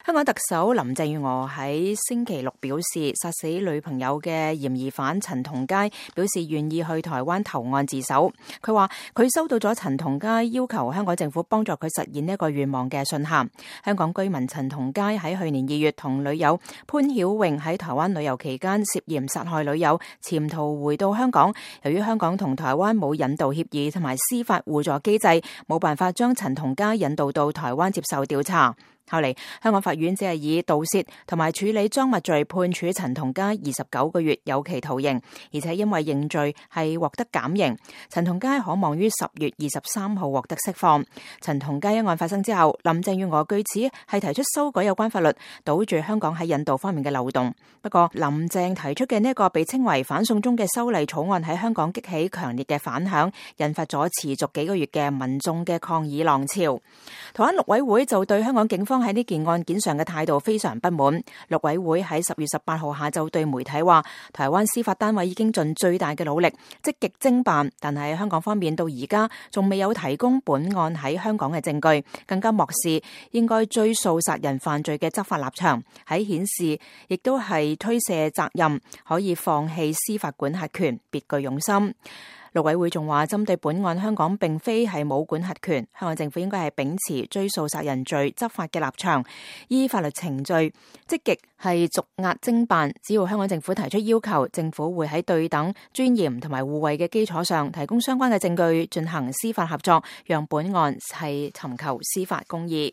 香港特首林鄭月娥喺星期六表示，殺死女朋友嘅嫌疑犯陳同佳表示願意去台灣投案自首。佢話佢收到咗陳同佳要求香港政府幫助佢實現呢一個願望嘅信函。香港居民陳同佳喺去年2月同女友潘曉穎喺台灣旅遊期間涉嫌殺害女友，潛逃回到香港。由於香港同台灣冇引渡協議同埋司法互助機制，冇辦法將陳同佳引渡到台灣接受調查。後嚟，香港法院只係以盜竊同埋處理贓物罪判處陳同佳29個月有期徒刑，而且因為認罪係獲得減刑。陳同佳可望於10月23號獲得釋放。陳同佳一案發生之後，林鄭月娥據此係提出修改有關法律，堵住香港喺引渡方面嘅漏洞。不過，林鄭提出嘅呢一個被稱為反送中嘅修例草案喺香港激起強烈嘅反響，引發咗持續幾個月嘅民眾嘅抗議浪潮。台灣陸委會就對香港警方喺呢件案件上嘅態度非常不滿。陸委會喺10月18號下晝對媒體話，台灣司法單位已經盡最大嘅努力積極偵辦，但係香港方面到而家仲未有提供本案喺香港嘅證據，更加漠視應該追訴殺人犯罪嘅執法立場，喺顯示亦都係推卸責任，可以放棄司法管轄權，別具用心。陸委會仲話，針對本案，香港並非係冇管轄權，香港政府應該係秉持追訴殺人罪執法嘅立場，依法律程序積極係逐押偵辦。只要香港政府提出要求，政府會喺對等、尊嚴同埋互惠嘅基礎上，提供相關嘅證據，進行司法合作，讓本案係尋求司法公義。